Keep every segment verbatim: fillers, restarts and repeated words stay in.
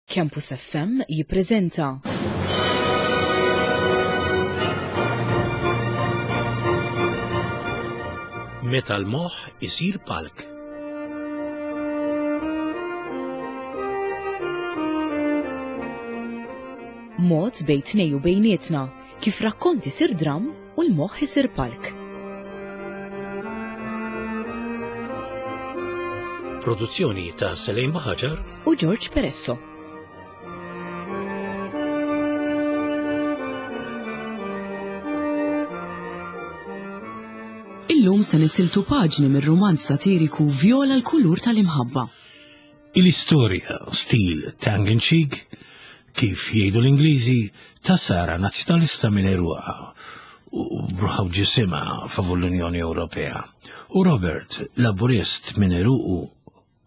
Campus F M jippreżenta Meta l-moħħ isir palk. Mod bejn tnejn u bejnietna kif rakkont isir dram u l-moħħ isir palk. Produzzjoni ta' Selejn Baħaġar u George Peresso. Illum se nisiltu paġni mir-rumanz satiriku Viola l-kulur tal-imħabba. Il-istorja stil tongue in cheek, kif jgħidu l-Ingliżi, ta' Sara, nazzjonalista minn għeruqha u b'ruħha u ġisimha favur l-Unjoni Ewropea, u Robert, laburist minn għeruqu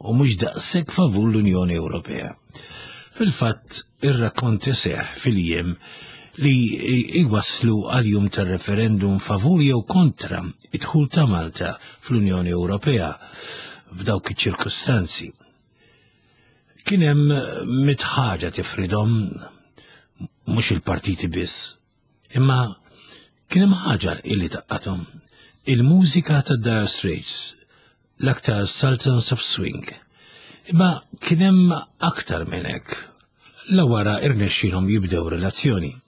u mhux daqshekk favur l-Unjoni Ewropea. Fil-fatt, ir-rakkont iseħħ fil-jiem li iwaslu għal jum tar-referendum favur jew kontra id-dħul ta' Malta fl-Unjoni Ewropea f'dawk iċ-ċirkustanzi. Kien hemm mitt ħaġa tifridhom, mhux il-partiti biss, imma kien hemm ħaġa illi tgħaqqadhom: il-mużika ta' Dire Straits, l-aktar Sultans of Swing. Imma kien hemm aktar minn hekk. La wara irnexxielhom jibdew relazzjoni.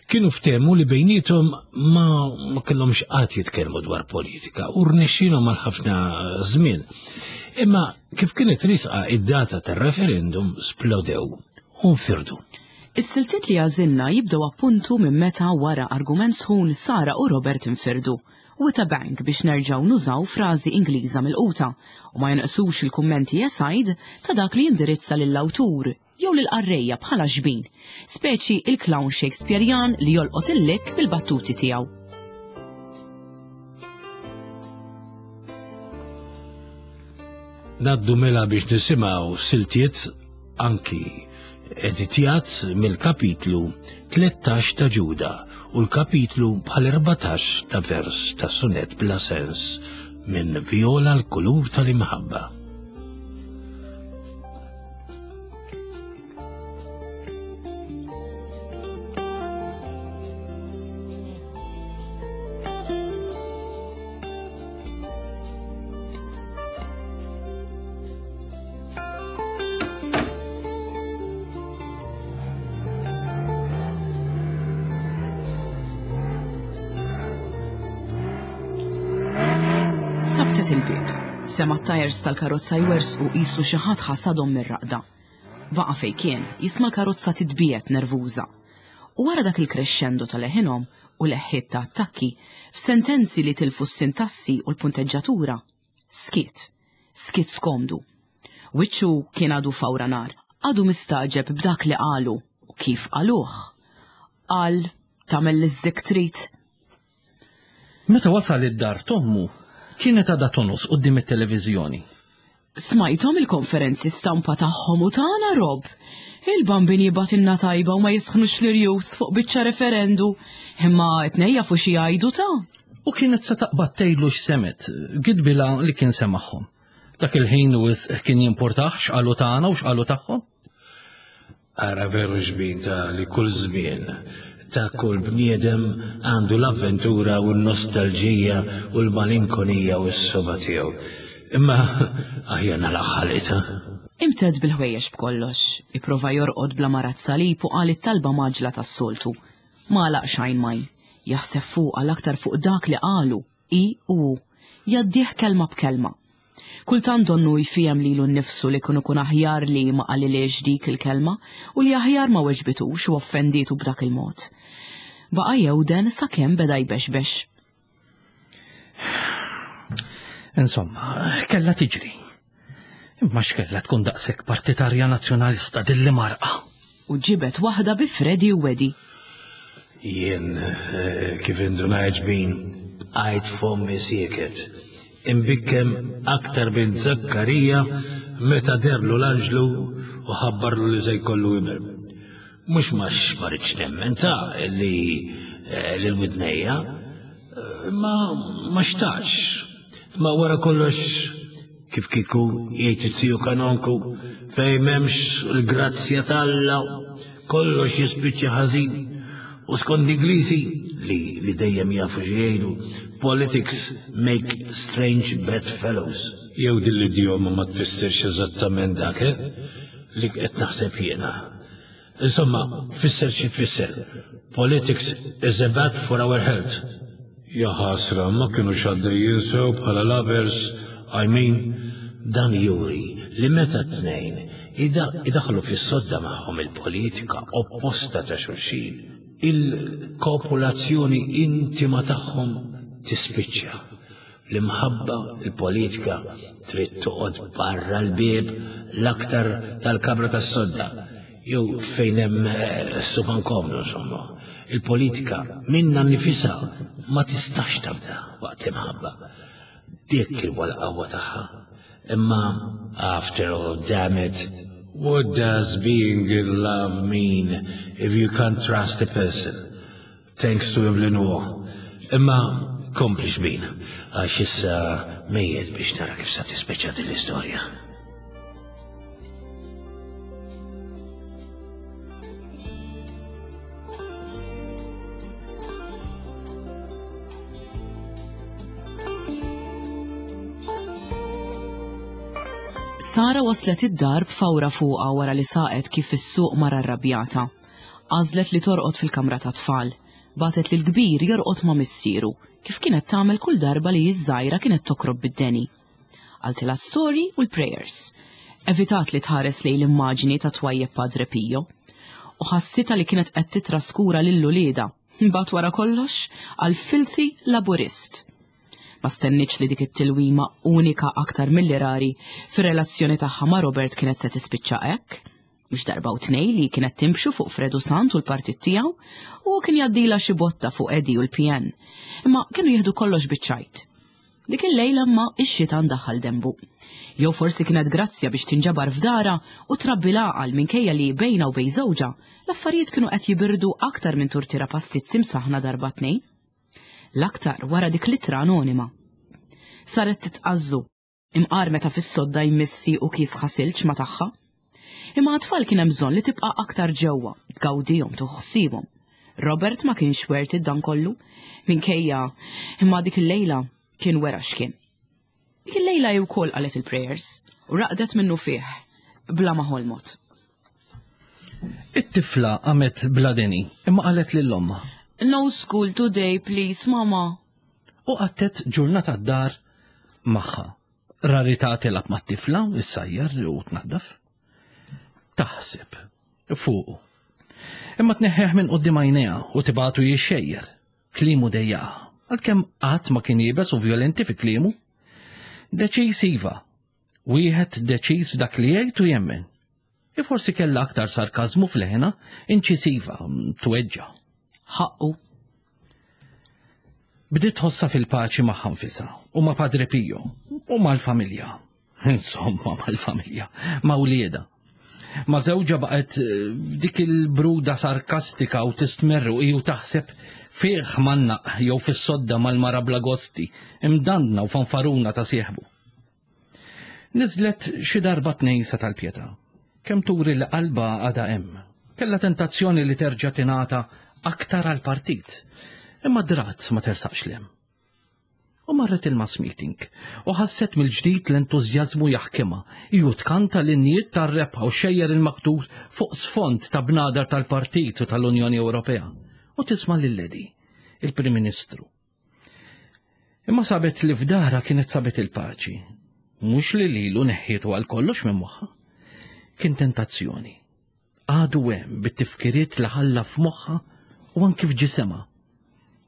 Kienu ftehmu li bejnietom ma, ma kellhomx qatt jitkellmu dwar politika u rnexxielhom għal ħafna żmien. Imma kif kienet riesqa id-data tar-referendum splodew u nfirdu. Is-siltiet li għażilna jibdew appuntu minn meta wara argument sħun Sara u Robert infirdu. With a bang, biex nerġaw nużaw frażi Ingliża mill-quta, u ma jonqsux il-kummenti aside ta' dak li jindirizza lill-awtur jew lill-qarrejja bħala xbin, speċi il-clown Shakespearean li jolqot il-lik bil-battuti tiegħu. Ngħaddu mela biex nisimgħu siltiet anki editjat mill-kapitlu tlettax ta' Ġuda u l-kapitlu bħal erbatax ta' vers ta' sunet bla sens minn Viola l-kulur tal-imħabba. Sabtet il-bib. Sema t-tajers tal-karozza jwerżqu qisu xi ħadd ħasadhom mir-raqda. Baqa' fej kien, jisma' l-karozza titbiet nervuża. U wara dak il-crescendo tal-leħinhom u leħħiet ta' attakki, f'sentenzi li tilfu s-sintassi u l-punteġġatura, skiet, skiet skomdu. Wiċċu kien għadu fawra nar, għadu mistagħġeb b'dak li qalu u kif qaluh. Qal, tagħmel li trid. Meta wasal id-dar t'ommu, kienet għadha tongħos quddiem it-televiżjoni. Smajthom il-konferenzi stampa tagħhom u tagħna, Rob. Il-bambin jibgħatilna tajba u ma jisħnux l-irjus fuq biċċa referendu. Imma t-tnejn jafu xi jgħidu ta'. U kienet se taqbad tgħidlu x'semgħet, gidbilha li kien semagħhom. Dak il-ħin wisq kien jimpurtah x'qalu tagħna u x'qalu tagħhom. Ara veru xbin ta' li kull żmien ta' kull bniedem għandu l-avventura u l-nostalġija u l-malinkonija u s-soba tiegħu. Imma aħjar nagħlaq ħalqita. Imtedd bil-ħwejjeġ b'kollox, ipprova jorqod bla ma ra s-salib u qal it-talba mgħaġġla tas-soltu. Ma għalaq xejn majn, jaħseb fuq għal-aktar fuq dak li qalu, i u hu, jgħaddih kelma b'kelma. Kultant donnu jfiehem lilu nnifsu li kien ikun aħjar li ma qalilhiex dik il-kelma u li aħjar ma weġbitux u offendietu b'dak il-mod. Baqa' jewden sakemm beda jbexbex. Insomma, kella tiġri. Imma x'kella tkun daqshekk partitarja nazzjonalista dilli marqa. U ġibet waħda bi Freddy u Wedi. Jien eh, kif indunajt bin għajt fommi sieket. Imbikkem aktar minn Zakkarija meta deherlu l-anġlu u ħabbarlu li se jkollu iben. Mhux għax ma ridtx nemmen ta' li eh, l-widnejja, eh, ma ma xtaqx. Ma wara kollox Kif kieku jgħid it-tiju kanonku, fejn m'hemmx il-grazzja t'Alla, kollox jispiċċa ħażin. U skont l-Ingliżi li, li dejjem jafu x'jgħidu, politics make strange bedfellows. Jew din l-idjoma ma tfissirx eżattament dak, eh? Li qed naħseb jiena. Insomma, fisser xi tfisser. Politics is a bad for our health. Ja ħasra, ma kinux għaddejjin sew bħala lovers, I mean, dan juri li meta t-tnejn idaħlu fis-sodda magħhom il-politika opposta ta' xulxin, il-kopulazzjoni intima tagħhom tispiċċa. L-imħabba, il-politika trid toqgħod barra l-bieb l-aktar tal-kamra tas-sodda jew fejn hemm eh, sufan komdu insomma. Il-politika minna nifisha ma tistax tabda waqt l-imħabba. Dik il-qawwa tagħha. Imma after all, damn it, what does being in love mean if you can't trust a person? Thanks to Evelyn Waugh. Imma kompli xbin, għax issa mejjed biex nara kif sa tispeċa din l-istorja. Sara waslet id-dar b'fawra fuqha wara li saqet kif is-suq mara rrabjata. Għażlet li torqod fil-kamra ta' tfal. Bagħtet lil kbir jorqod ma' missieru, kif kienet tagħmel kull darba li ż-żgħira kienet tokrob bid-deni. Qaltilha story u l-prayers. Evitat li tħares lejn l-immaġini ta' twajjeb Padre Pio. U ħassitha li kienet qed titraskura lil uliedha. Mbagħad wara kollox għal filthy laburist. Ma stennietx li dik it-tilwima unika aktar milli rari fir-relazzjoni tagħha ma' Robert kienet se tispiċċa hekk. Mhux darba u tnej li kienet timxu fuq Fredu Sant u l-partit tiegħu u kien jgħaddila xi botta fuq Eddie u l-P N. Imma kienu jieħdu kollox biċ-ċajt. Dik il-lejla ma ix-xitan daħal dembu. Jew forsi kienet grazzja biex tinġabar f'dara u trabbi l-għaqal minkejja li bejna u bejn żewġha l-affarijiet kienu qed jibirdu aktar minn turtira pastizzi msaħna darba tnejn. L-aktar wara dik l-ittra anonima. Saret titqazzu, imqar meta fis-sodda jmissi u kis ħasilċ ma tagħha. Imma għat-tfal kien hemm bżonn li tibqa' aktar ġewwa, tgawdihom, tuħsibhom. Robert ma kienx worth it dan kollu, minkejja imma dik il-lejla kien wera x'kien. Dik il-lejla hi wkoll qalet il-prayers u raqdet minnu fih bla ma ħolmot. It-tifla qamet bla deni, imma qalet lil ommha. No school today, please, mama. U qattet ġurnata d-dar magħha. Rarità tilgħab mat-tifla, issajjar u tnaddaf. Taħseb fuqu. Imma tneħħeħ minn quddiem għajnejha u tibatu jixxejjer. Kliemu dejjaqha, għalkemm qatt ma kien iebes u violenti fi kliemu. Deċiż iva, wieħed deċiż f'dak li jgħid u jemmen. I forsi kellha aktar sarkażmu f'leħna, inċisiva, tweġġa. Ħaqqu. Bdiet tħossha fil-paċi magħha nfisha u ma' Padre Pio u mal-familja. Insomma, mal-familja, ma' wliedha. Ma' żewġha baqgħet eh, dik il-bruda sarkastika u tistmerru u taħseb fih mannaq jew fis-sodda mal-mara bla gosti, imdandna u fanfaruna ta' sieħbu. Niżlet xi darba tnejn sa tal-Pietà. Kemm turi li qalba għadha hemm. Kella tentazzjoni li terġa' tingħata aktar għal-partit. Imma drat ma tersaqx lem. U marret il-mass meeting u ħasset mill-ġdid l-entużjażmu jaħkimha. Ju tkanta l-innijiet tar-rebħa u xejjer il-maktur fuq sfond ta' bnadar tal-Partit u tal-Unjoni Ewropea. U tisma' lil Eddie, il-Prim Ministru. Imma sabet li f'dara kienet sabet il-paċi. Mhux li lilu neħħietu għal kollox minn moħħha. Kien tentazzjoni. Għadu hemm bit-tifkiriet li ħalla f'moħħha u anki f'ġisimha.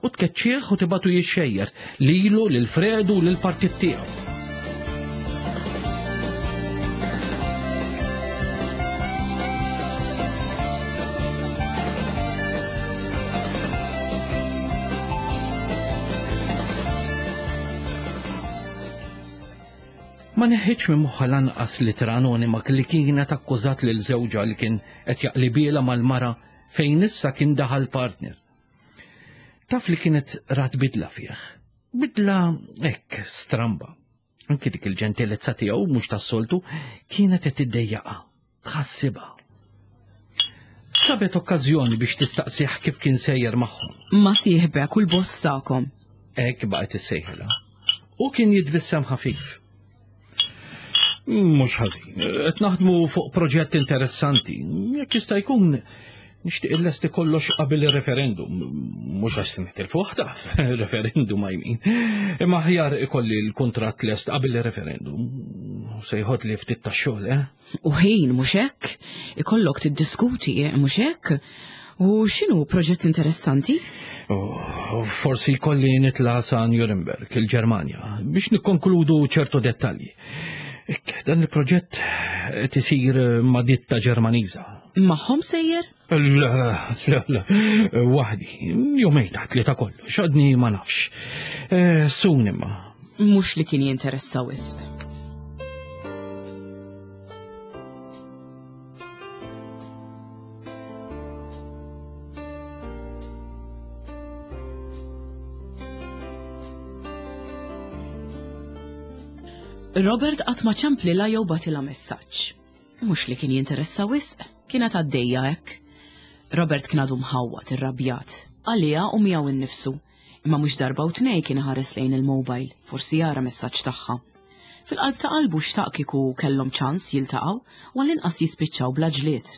U tkeċċieħ u tibatu jixxejjer lilu, lil Fredu u lill-partit tiegħu. Ma neħħitx minn moħħha lanqas l-ittra anonima li kienet akkużat lil żewġha li kien qed jaqlibiela mal-mara fejn issa kien daħal partner. Taf li kienet rat bidla fih. Bidla hekk stramba. Anki dik il-ġentilezza tiegħu mhux tas-soltu kienet qed tiddejjaqha, tħassibha. Sabet okkażjoni biex tistaqsih kif kien sejjer magħhom. Ma sieħbek u l-boss tagħkom. Hekk baqgħet issejħilha. U kien jitbissem ħafif. Mhux ħażin, qed naħdmu fuq proġett interessanti. Jekk jista' jkun nixtieq illesti kollox qabel ir-referendum. Mhux għax se nitilfu taf, referendum I mean. Imma aħjar ikolli l-kuntratt lest qabel ir-referendum. Se jħodli ftit tax-xogħol, eh? U ħin mhux hekk? Ikollok tiddiskuti, mhux hekk? U x'inhu proġett interessanti? Oh, forsi jkolli nitla' sa Nuremberg, il-Ġermanja, biex nikkonkludu ċertu dettalji. Ek, dan il-proġett qed isir ma' ditta Ġermaniża. Magħhom sejjer? Le, le, le, waħdi, jumejn taħt li ta' kollox, għadni ma nafx. Eh, Sun imma. Mhux li kien jinteressa wisq. Robert qatt ma ċemplilha jew bagħtilha messaġġ. Mhux li kien jinteressa wisq, kienet għaddejja hekk. Robert kien għadu mħawwad irrabjat, għaliha u miegħu innifsu, imma mhux darba u tnej kien iħares lejn il-mobile, forsi jara messaġġ tagħha. Fil-qalb ta' qalbu xtaq kieku kellhom ċans jiltaqgħu u għall-inqas jispiċċaw bla ġlied.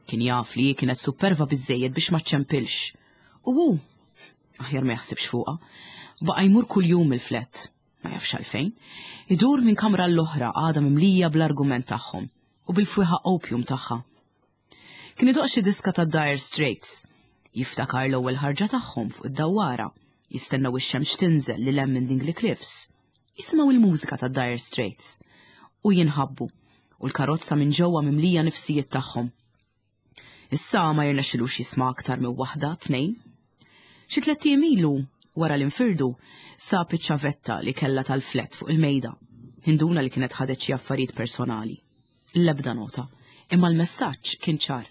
Kien jaf li kienet superva biżżejjed biex ma ċċempilx. U hu, aħjar ma jaħsibx fuqha, baqa' jmur kuljum il-flat. Ma jafx għalfejn, idur minn kamra l-oħra għadha mimlija bl-argument tagħhom u bil-fwieħa opium tagħha. Kien idoq xi diska ta' Dire Straits, jiftakar l-ewwel ħarġa tagħhom fuq id-dawwara, jistennew ix-xemx tinżel lil hemm minn Dingley Cliffs, jisimgħu il-mużika ta' Dire Straits u jinħabbu u l-karozza minn ġewwa mimlija nifsijiet tagħhom. Issa ma jirnexxilux jisma' aktar minn waħda, tnejn. Xi tlett ijiem ilu, wara l-infirdu, sab iċ-ċavetta li kellha tal-flet fuq il-mejda. Induna li kienet ħadet xi affarijiet personali. L-ebda nota, imma l-messaġġ kien ċar.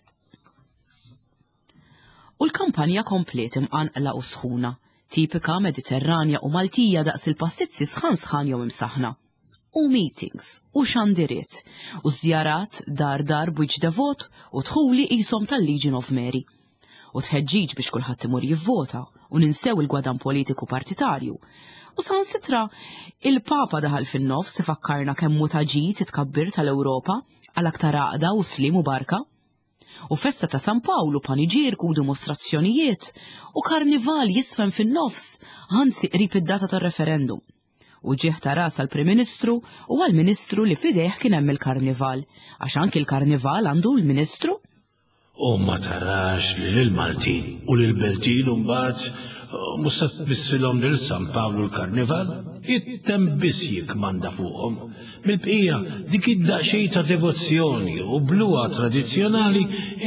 U l-kampanja kompliet imqanqla u sħuna, tipika Mediterranja u Maltija daqs il-pastizzi sħan sħan jew imsaħna. U meetings, u xandiriet, u żjarat dar dar b'wiċċ devot u dħuli qishom tal-Legion of Mary. U tħeġġiġ biex kulħadd imur jivvota u ninsew il-gwadan politiku partitarju. U saħansitra il-Papa daħal fin-nofs ifakkarna kemm hu ta' ġid it-tkabbir tal-Ewropa għal aktar għaqda u slim u barka. U festa ta' San Pawlu, paniġierku u dimostrazzjonijiet u karnival jisfem fin-nofs, anzi qrib id-data tar-referendum. U ġieħ ta' ras għall-Prim Ministru u għall-Ministru li fidejh kien hemm il-karnival, għax anki l-karnival għandu l-Ministru. U ma tarax li lill-Maltin u lill-Beltin mbagħad mhux se tmissilhom lil San Pawlu l-karnival, it-temp biss jikmanda fuqhom. Mill-bqija dik id-daqsxejn ta' devozzjoni u bluha tradizzjonali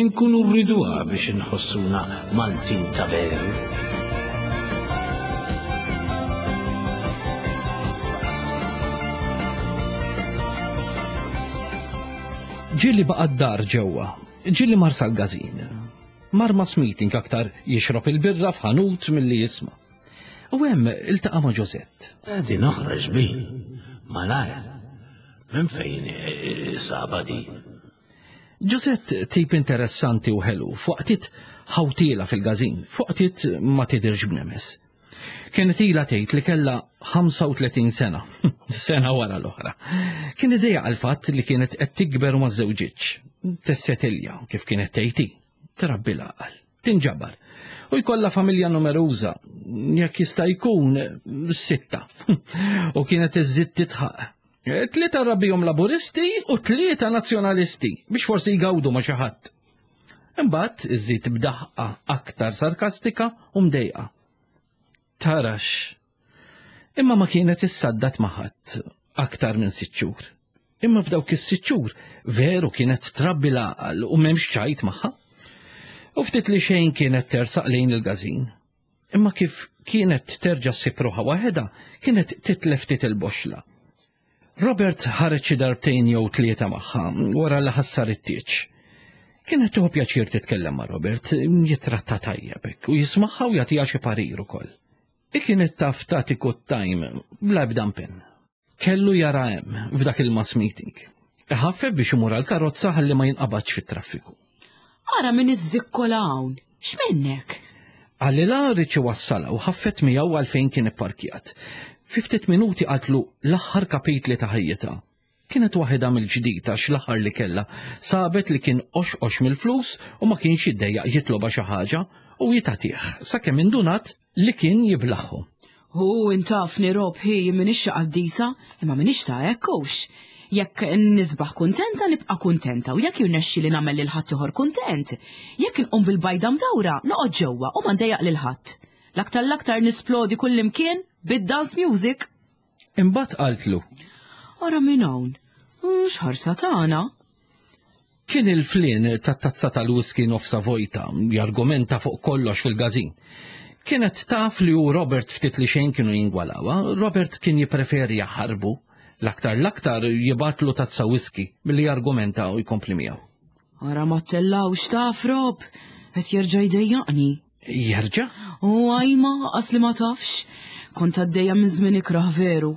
nkunu rriduha biex inħossuna Maltin ta' veru. Ġieli baqa' d-dar ġewwa, ġieli mar sal-gazin. Mar mass meeting aktar jixrob il-birra f'ħanut milli jisma'. U hemm iltaqa' ma' Josette. Din oħra ġbin, malajr. Minn fejn saba din? Josette tip interessanti u ħelu, f'waqtiet ħawtiela fil-gazin, f'waqtiet ma tidirx b'nemes. Kienet ilha tgħid li kellha ħamsa u tletin sena, sena wara l-oħra. Kien idejja għall-fatt li kienet qed tikber u ma żewġitx. Tissetilja kif kienet tgħid hi, trabbi l-għaqal, tinġabar u jkollha familja numeruża, jekk jista' jkun sitta. U kienet iżżid titħaq. Tlieta rabbihom laburisti u tlieta nazzjonalisti biex forsi jgawdu ma' xi ħadd. Imbagħad iżżid b'daħqa aktar sarkastika u mdejqa. Tarax. Imma ma kienet issaddat ma' ħadd aktar minn sitt xhur. Imma f'dawk is-sitt xhur veru kienet trabbi l-għaqal u m'hemmx ċajt magħha. U ftit li xejn kienet tersaq lejn il-gazin. Imma kif kienet terġa' ssib ruħha waħedha, kienet titlef ftit il-boxla. Robert ħareġ xi darbtejn jew tlieta magħha wara li ħassar it-tieġ. Kienet tieħu pjaċir titkellem ma' Robert, jitratta tajjeb hekk u jismagħha u jagħtiha xi parir ukoll. I kienet taf tagħti good time bla ebda impenn. Kellu jara hemm f'dak il-mass meeting. Iħaffef biex imur għall-karozza ħalli ma jinqabadx fit-traffiku. Ara min iż-żikkola hawn. X'minnek? Qalilha ried iwassalha u ħaffet miegħu għal fejn kien ipparkjat. Fi ftit minuti qaltlu l-aħħar kapitli ta' ħajjitha. Kienet waħedha mill-ġdid għax l-aħħar li kellha sabet li kien qoxqox mill-flus u ma kienx jiddejjaq jitlobha xi ħaġa u jitagħtih sakemm indunat li kien jiblaħħu. Hu intafni Rob ħi minix qaddisa, imma minix ta' hekk. Jekk nisbaħ kuntenta nibqa' kuntenta u jekk jirnexxi li nagħmel lil ħadd kuntent, jekk inqum bil-bajda mdawra noqgħod ġewwa u ma ndejjaq lil ħadd. L-aktar l-aktar nisplodi kullimkien bid-dance music. Imbagħad qaltlu. Ara minn hawn. X'ħarsa tagħna? Kien il-flien tat-tazza tal-whisky nofsa vojta, jargumenta fuq kollox fil-gazin. Kienet taf li u Robert ftit li xejn kienu jingwalawa, Robert kien jipreferi jaħarbu, l-aktar l-aktar jibgħatlu tazza whisky milli jargumenta u jkompli miegħu. Ara ma tellawx taf Rob, qed jerġa' jdejjaqni. Jerġa'? U għajma, qas li ma tafx. Kont għaddejja minn żmien ikrah veru.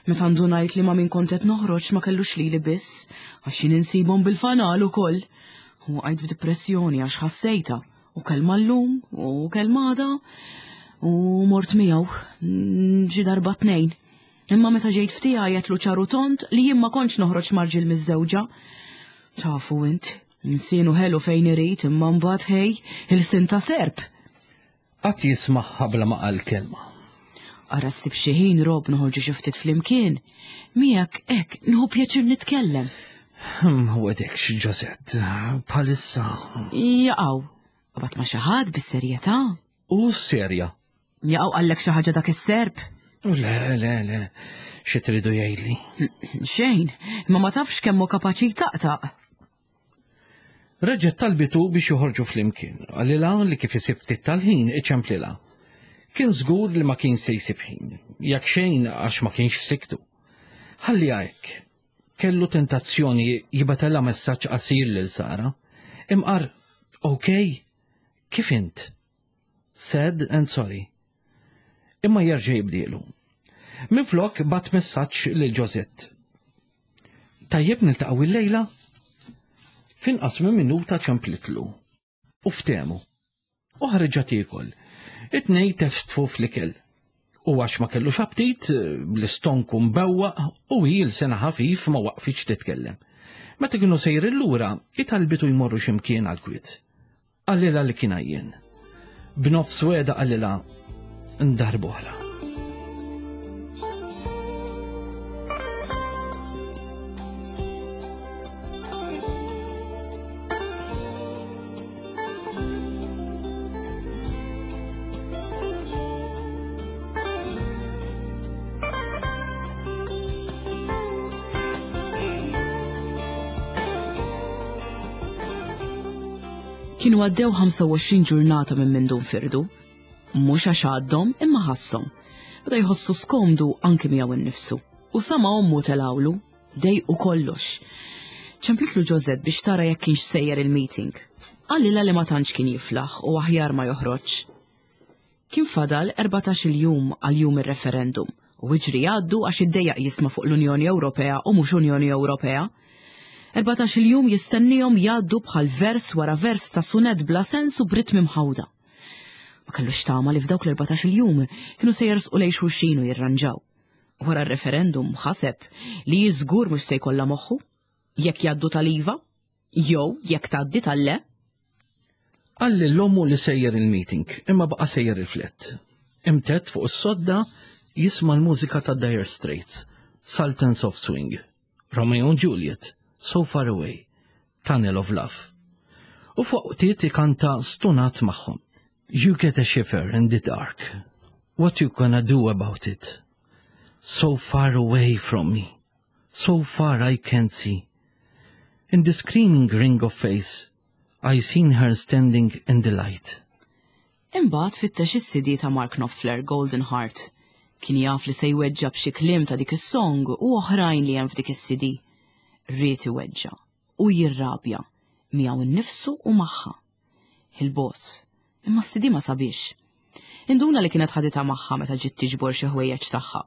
Meta ndunajt li ma min kont qed noħroġ ma kellux lili biss, għax jien insibhom bil-fanal ukoll. U għajt f'depressjoni għax ħassejta. U kelma llum, u kelma għada, u mort miegħu, xi darba tnejn. Imma meta ġejt ftija għedtlu ċar u tond li jien ma kontx noħroġ ma' rġiel miżżewġa. Tafu int, nsienu ħelu fejn irid imma mbagħad ħej il-sin ta' serp. Qatt jismagħha bla ma qal kelma. Ara ssib xi ħin Rob noħorġu xi ftit flimkien. Miegħek hekk nieħu pjaċir nitkellem. Ma wedekx, Josette, bħalissa. Jaqaw, qabad ma xi ħadd bis-serjetà. U serja. Jaqaw qallek xi ħaġa dak is-serp. Le, le, le, xi tridu jgħidli? Xejn, imma ma tafx kemm hu kapaċi taqtaq. Reġgħet talbitu biex joħorġu flimkien, qalilha li kif isib ftit tal-ħin iċemplilha. Kien żgur li ma kien se jsib ħin, jekk xejn għax ma kienx f'siktu. Ħalli hekk, kellu tentazzjoni jibgħatilha messaġġ qasir lil Sara. Imqar, ok, kif int? Sad and sorry. Imma jerġa' jibdielu. Minflok bagħat messaġġ lil Josette. Tajjeb niltaqgħu il-lejla? F'inqas minn minuta ċemplitlu. U ftehmu. U ħarġa tiekol. It-tnejn teftfu fl-ikel. U għax ma kellux aptit, l-istonku mbewwaq u hi l-sena ħafif ma waqfitx titkellem. Meta kienu sejrin lura, talbitu jmorru x'imkien għal-kwiet. Qalilha li kien għajjen. B'nofs wegħda qalilha darb'oħra. Kienu għaddew ħamsa u għoxrin ġurnata minn mindu nfirdu. Mhux għax għaddhom imma ħasshom. Beda jħossu skomdu anki miegħu innifsu. U sama ommu telawlu, dejqu kollox. Ċemplitlu Josette biex tara jekk kienx sejjer il-meeting. Qalilha li ma tantx kien jiflaħ u aħjar ma joħroġ. Kien fadal erbatax-il jum għal jum ir-referendum u iġri għaddu għax iddejjaq jisma' fuq l-Unjoni Ewropea u mhux Unjoni Ewropea. Erbatax-il jum jistennihom jgħaddu bħal vers wara vers ta' sunet bla sens u b'ritmi mħawda. Ma kellux tama li f'dawk l-erbatax-il jum kienu se jersqu lejn xulxin u jirranġaw. Wara r-referendum ħaseb li jiżgur mhux se jkollha moħħu, jekk jgħaddu tal-iva, jew jekk tgħaddi tal-le. Qal lil ommu li sejjer il-meeting, imma baqa' sejjer il-flat. Imtedd fuq is-sodda jisma' l-mużika ta' Dire Straits, Sultans of Swing, Romeo and Juliet, So Far Away, Tunnel of Love. U fuq tiet ikanta stunat magħhom. You get a shiver in the dark. What you gonna do about it? So far away from me. So far I can't see. In the screaming ring of face, I seen her standing in the light. Imbagħad fittex is-C D ta' Mark Knopfler, Golden Heart. Kien jaf li se jweġġa b'xi kliem ta' dik is-song u oħrajn li hemm f'dik is-C D. Ried iweġġa u jirrabja miegħu nnifsu u magħha. Il-boss, imma s-C D ma sabiex. Induna li kienet ħaditha magħha meta ġiet tiġbor xi ħwejjeġ tagħha.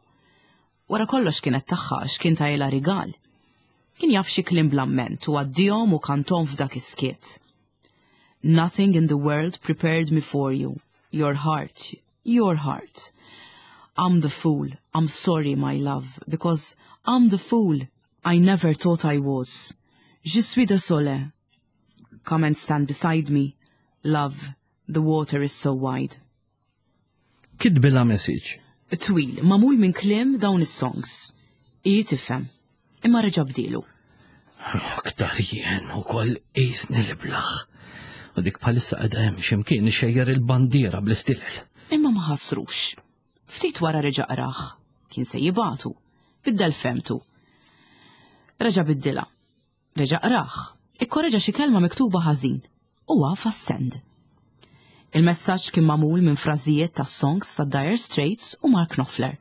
Wara kollox kienet tagħha għax kien tahielha rigal. Kien jaf xi kliem bl-amment u għaddihom u kantahom f'dak is-skiet. Nothing in the world prepared me for you. Your heart, your heart. I'm the fool. I'm sorry, my love, because I'm the fool I never thought I was. Je suis désolé. Come and stand beside me. Love, the water is so wide. Kitbilha message. Twil, magħmul minn kliem dawn is-songs. Hi tifhem, imma reġa' bdielu. Aktar jien ukoll qisni l-iblah. U dik bħalissa qiegħda hemm x'imkien ixxejjer il-bandiera bl-istilel. Imma ma ħassrux. Ftit wara reġa' qrah. Kien se jibagħtu. Biddel fehmtu. Reġa' biddilha. Reġa' qrah. Ikkoreġa xi kelma miktuba ħażin. U għafas send. Il-messaġġ kien magħmul minn frażijiet ta' songs ta' Dire Straits u Mark Knopfler.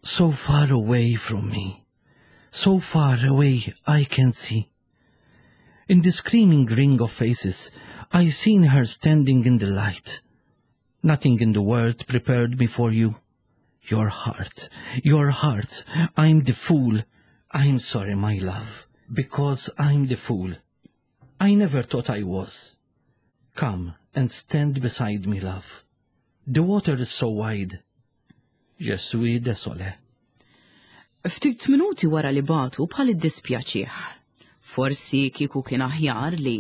So far away from me. So far away I can see. In the screaming ring of faces, I seen her standing in the light. Nothing in the world prepared me for you. Your heart, your heart, I'm the fool. I'm sorry, my love, because I'm the fool. I never thought I was. Come and stand beside me, love. The water is so wide. Je suis désolé. Ftit minuti wara li bagħtu bħal iddispjaċih. Forsi kieku kien aħjar li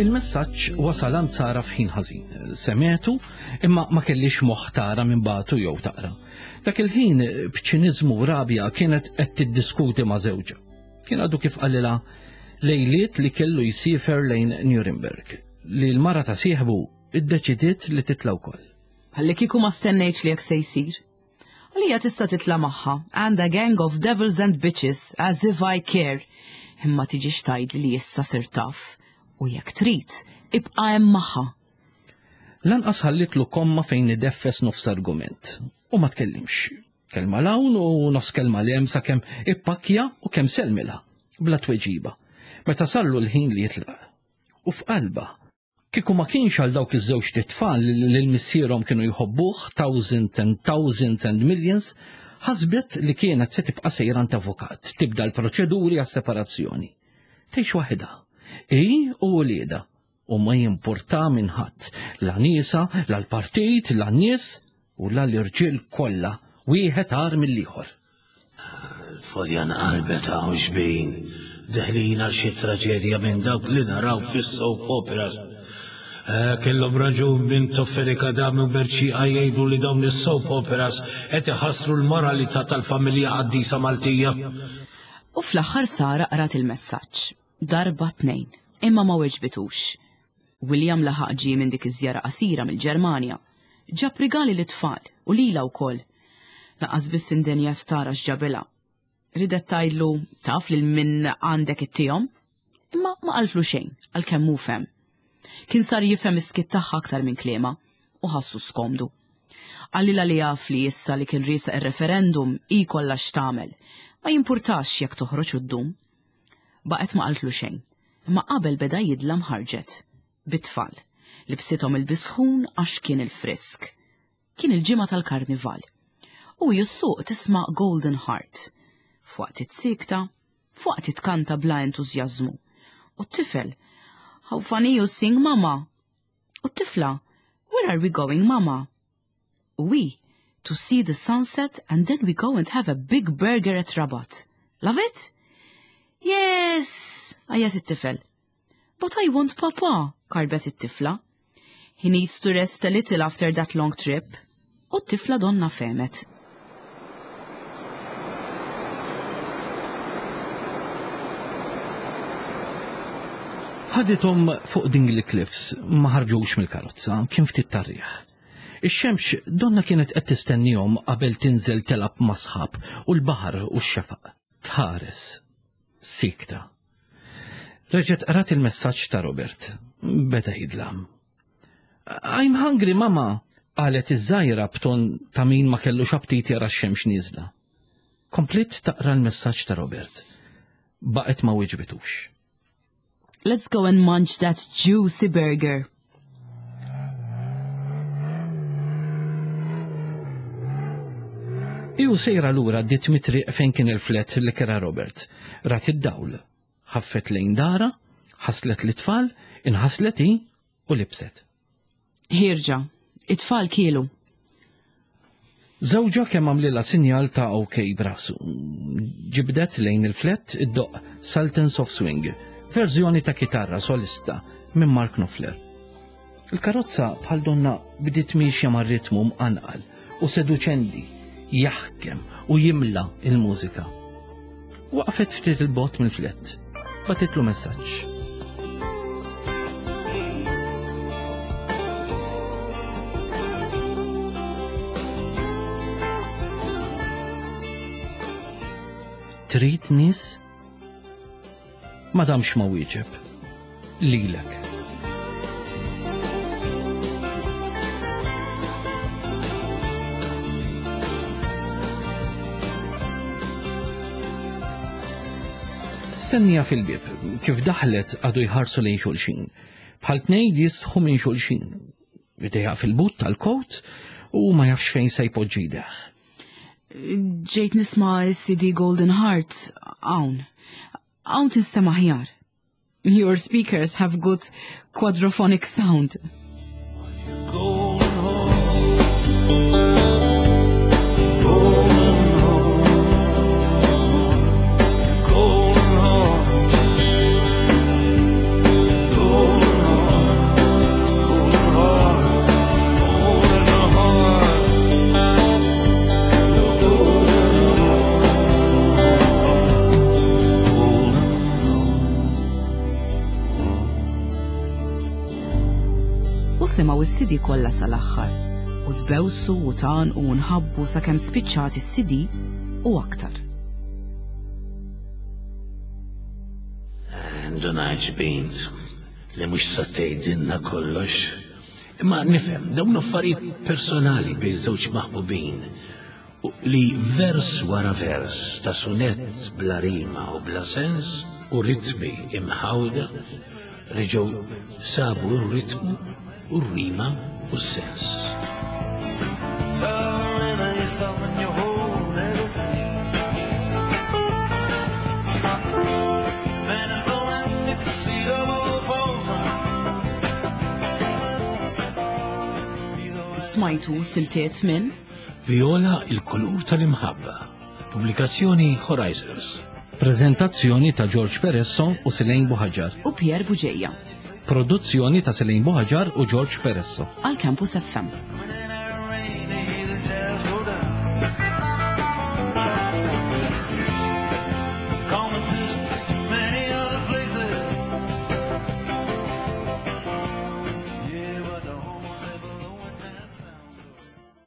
Il-messaġġ wasal għand Sara f'ħin ħażin. Semgħetu imma ma kellhiex moħħ tara min bagħtu jew taqra. Dak il-ħin b'ċiniżmu u rabja kienet qed tiddiskuti ma' żewġha. Kien għadu kif qalilha lejliet li kellu jsifer lejn Nuremberg, li l-mara ta' sieħbu iddeċidiet li titla' wkoll. Ħalli kieku ma stennejtx li hekk se jsir. Għalija tista' titla' magħha and a gang of devils and bitches as if I care. Imma tiġix tgħidli li issa sir taf. U jekk trid, ibqa' hemm magħha. Lanqas ħallitlu komma fejn ideffes nofs argument. U ma tkellimx. Kelma 'l hawn u nofs kelma 'l hemm sakemm ippakkja u kemm sellmilha bla tweġiba. Meta sarlu l-ħin li jitlaq. U f'qalba, kieku ma kienx għal dawk iż-żewġ tfal li l-missierhom kienu jħobbuh thousands and thousands and millions, ħasbet li kienet se tibqa' sejra għand avukat, tibda l-proċeduri għas-separazzjoni. Tgħix waħedha. Hi u wliedha, u ma jimpurta minn ħadd, la nisa, la l-partit, la n-nies u la l-irġiel kollha, wieħed agħar mill-ieħor. Fodjan qalbet hawn xbin, deħlin għal xi traġedja minn dawk li naraw fis-soap operas. Eh, Kellhom raġun Mintoff, Fenech Adami u Mercieca jgħidu li dawn is-soap operas qed iħassru l-moralità tal-familja qaddisa Maltija. U fl-aħħar Sara qrat il-messaġġ. Darba tnejn, imma ma weġbitux. William laħaq ġie minn dik iż-żjara qasira mill-Ġermanja. Ġab rigali lit-tfal u lilha wkoll. Lanqas biss indenjat tara x'ġabilha. Ridet tgħidlu taf lil min għandek ittihom, imma ma qaltlu xejn għalkemm hu fehem. Kien sar jifhem is-skiet tagħha aktar minn kliemha u ħassu skomdu. Qalilha li jaf li issa li kien riesaq ir-referendum hi kollha x'tagħmel. Ma jimpurtax jekk toħroġ u ddum. Baqgħet ma qaltlu xejn, imma qabel beda jidlam ħarġet. Bit-tfal, libsithom il-bisħun għax kien il-frisk. Kien il-ġimgħa tal-karnival. U jissuq tisma' Golden Heart. F'waqt it-sikta, f'waqt itkanta bla entużjażmu. U t-tifel, how funny you sing, mama. U t-tifla, where are we going, mama? We, to see the sunset and then we go and have a big burger at Rabat. Love it? Yes, għajjat it-tifel. But I want papa, karbet it-tifla. He needs to rest a little after that long trip. U t-tifla donna fehmet. Ħadithom fuq Dingley Cliffs, ma ħarġux mill-karozza, kien ftit tar-riħ. Ix-xemx donna kienet qed tistennihom qabel tinżel telgħab ma' sħab u l-baħar u x-xefaq. Tħares. Sikta. Reġgħet qrat il-messaġġ ta' Robert. Beda jidlam. I'm hungry, mama. Qalet iż-żgħira b'ton ta' min ma kellux aptit jara x-xemx nieżla. Kompliet taqra l-messaġġ ta' Robert. Baqgħet ma wieġbitux. Let's go and munch that juicy burger. Iju sejra lura għaddiet mit-triq fejn kien il-flet li kera Robert. Rat id-dawl. Ħaffet lejn dara, ħaslet l-tfal, inħaslet hi u libset. Ħierġa, it-tfal kielu. Żewġha kemm għamlilha sinjal ta' ok b'rasu. Ġibdet lejn il-flet iddoqq Sultans of Swing, verżjoni ta' kitarra solista minn Mark Knopfler. Il-karozza bħal donna bdiet miexja mar-ritmu mqanqal u seduċenti, jaħkem u jimla il-mużika. Waqfet ftit il-bogħod mill-flet. Bagħtitlu messaġġ. Trid nies? Ma damx ma wieġeb. Lilek. Stennija fil-bieb, kif daħlet għadu jħarsu lejn xulxin. Bħal tnejn jistħu minn xulxin. Idejha fil-but tal-kowt u ma jafx fejn se jpoġġi idejh. Ġejt nisma' s-C D Golden Heart hawn. Hawn tinstema' aħjar. Your speakers have good quadraphonic sound. Golden heart, golden heart, golden heart, golden heart, golden heart, golden heart, your golden heart, golden U semgħu is-C D kollha sal-aħħar. U tbewsu u tan u nħabbu sakemm spiċċat is-C D u aktar. Ndunajt bint li mhux sa tgħidilna kollox. Imma nifhem dawn affarijiet personali bejn żewġ maħbubin u li vers wara vers ta' sunett bla rima u bla sens u ritmi imħawda reġgħu sabu r-ritmu u r-rima u s-sens. Tell the river you stop and you hold everything. Man is blowing, you can see the ball falls. Smajtu siltiet minn Viola, il-kulur tal-imħabba. Pubblikazzjoni Horizons. Prezentazzjoni ta' George Peresso u Selene Buhaġar. U Pierre Buġeja. Produzzjoni ta' Selene Buhaġar u George Peresso. Għal Campus F M.